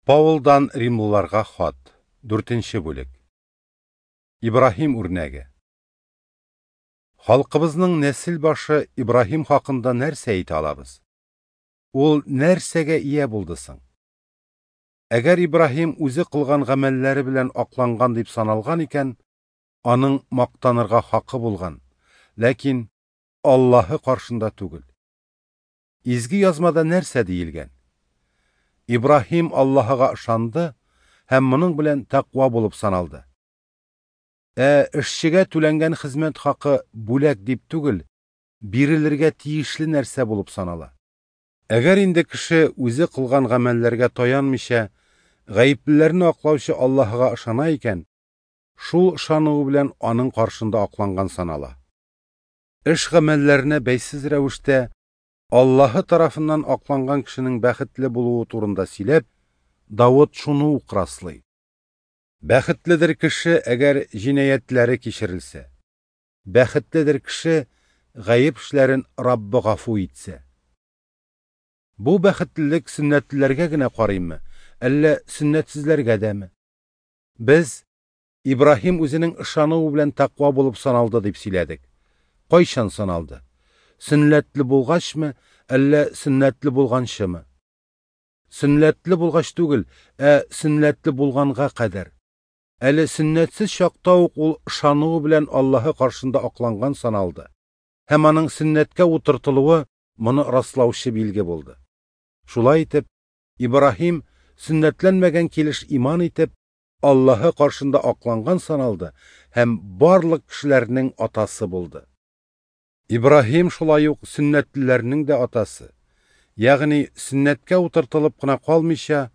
Паулдан Римлыларга хат, 4 бүлек. Ибраһим үрнәге. Халкыбызның нәсел башы Ибраһим хакында нәрсә әйтә алабыз? Ул нәрсәгә ия булды соң? Әгәр Ибраһим үзе кылган гамәлләре белән акланган дип саналган икән, аның мактанырга хакы булган, ләкин Аллаһы каршында түгел. Изге язмада нәрсә диелгән? Ибраһим Аллаһыга ышанды һәм моның белән тәкъва булып саналды. Ә эшчегә түләнгән хезмәт хакы бүләк дип түгел, бирелергә тиешле нәрсә булып санала. Әгәр инде кеше үзе кылган гамәлләргә таянмыйча, гаеплеләрне аклаучы Аллаһыга ышана икән, шул ышануы белән аның каршында акланган санала. Эш гамәлләренә бәйсез рәвештә Аллаһы тарафыннан акланган кешенең бәхетле булуы турында сөйләп, Давыт шуны ук раслый. Бәхетледер кеше, әгәр җинаятьләре кичерелсә. Бәхетледер кеше, гаеп эшләрен Раббы гафу итсә. Бу бәхетлелек сөннәтлеләргә генә карыймы, әллә сөннәтсезләргә дәме? Без Ибраһим үзенең ышануы белән тәкъва булып саналды дип сөйләдек. Кайчан саналды? Сөннәтле булгачмы, әллә сөннәтле булганчымы? Сөннәтле булгач түгел, ә сөннәтле булганга кадәр. Әле сөннәтсез чакта ук ул ышануы белән Аллаһы каршында акланган саналды. Һәм аның сөннәткә утыртылуы моны раслаучы билге булды. Шулай итеп, Ибраһим сөннәтләнмәгән килеш иман итеп, Аллаһы каршында акланган саналды һәм барлык кешеләрнең атасы булды. Ибраһим шулай ук сөннәтлеләрнең дә атасы, ягъни сөннәткә утыртылып кына калмыйча,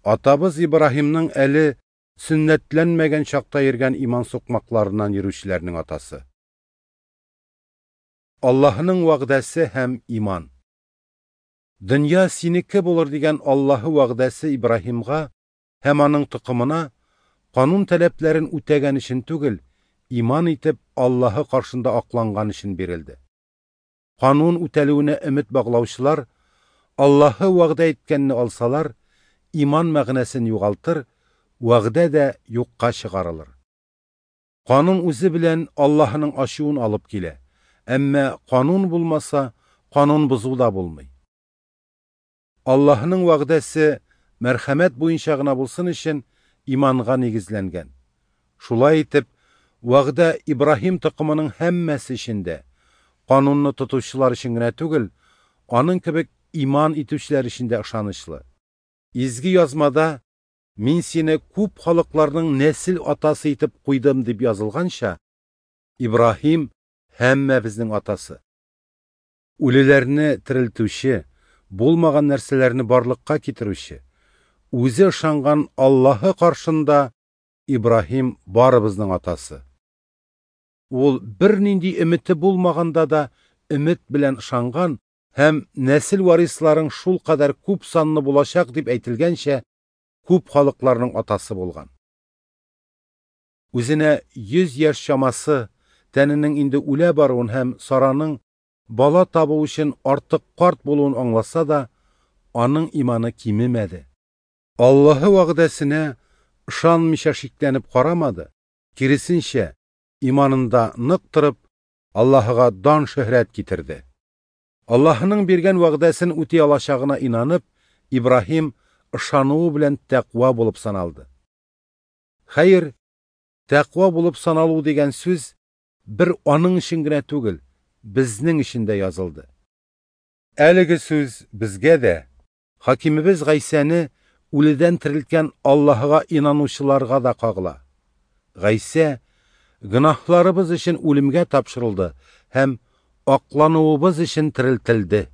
атабыз Ибраһимның әле сөннәтләнмәгән чакта йөргән иман сукмакларыннан йөрүчеләрнең атасы. Аллаһының вәгъдәсе һәм иман. Дөнья синеке булыр дигән Аллаһы вәгъдәсе Ибраһимга һәм аның токымына канун таләпләрен үтәгән өчен түгел, иман итеп Аллаһы каршында акланган өчен бирелде. Канун үтәлүенә өмет баглаучылар Аллаһы вәгъдә иткәнне алсалар, иман мәгънәсен югалтыр, вәгъдә дә юкка чыгарылыр. Канун үзе белән Аллаһының ачуын алып килә, әмма канун булмаса, канун бозу да булмый. Аллаһының вәгъдәсе мәрхәмәт буенча гына булсын өчен иманга нигезләнгән. Шулай итеп, вәгъдә Ибраһим токымының һәммәсе өчен дә, канунны тотучылар өчен генә түгел, аның кебек иман итүчеләр өчен дә ышанычлы. Изге язмада «Мин сине күп халыкларның нәсел атасы итеп куйдым» дип язылганча, Ибраһим һәммәбезнең атасы. Үлеләрне терелтүче, булмаган нәрсәләрне барлыкка китерүче, үзе ышанган Аллаһы каршында Ибраһим барыбызның атасы. Ул бернинди өмете булмаганда да өмет белән ышанган һәм нәсел варисларың шул кадәр күп санлы булачак дип әйтелгәнчә, күп халыкларның атасы булган. Үзенә 100 яшь чамасы, тәненең инде үлә баруын һәм Сараның бала табу өчен артык карт булуын аңласа да, аның иманы кимемәде. Аллаһы вәгъдәсенә ышанмыйча шикләнеп карамады, киресенчә, иманында нык торып, Аллаһыга дан шөһрәт китерде. Аллаһының биргән вәгъдәсен үти алачагына инанып, Ибраһим ышануы белән тәкъва булып саналды. Хәер, тәкъва булып саналу дигән сүз бер аның өчен генә түгел, безнең өчен дә язылды. Әлеге сүз безгә дә, хакимебез Гайсәне үледән терелткән Аллаһыга инанучыларга да кагыла. Гайсә гөнаһларыбыз өчен үлемгә тапшырылды һәм аклануыбыз өчен терелтелде.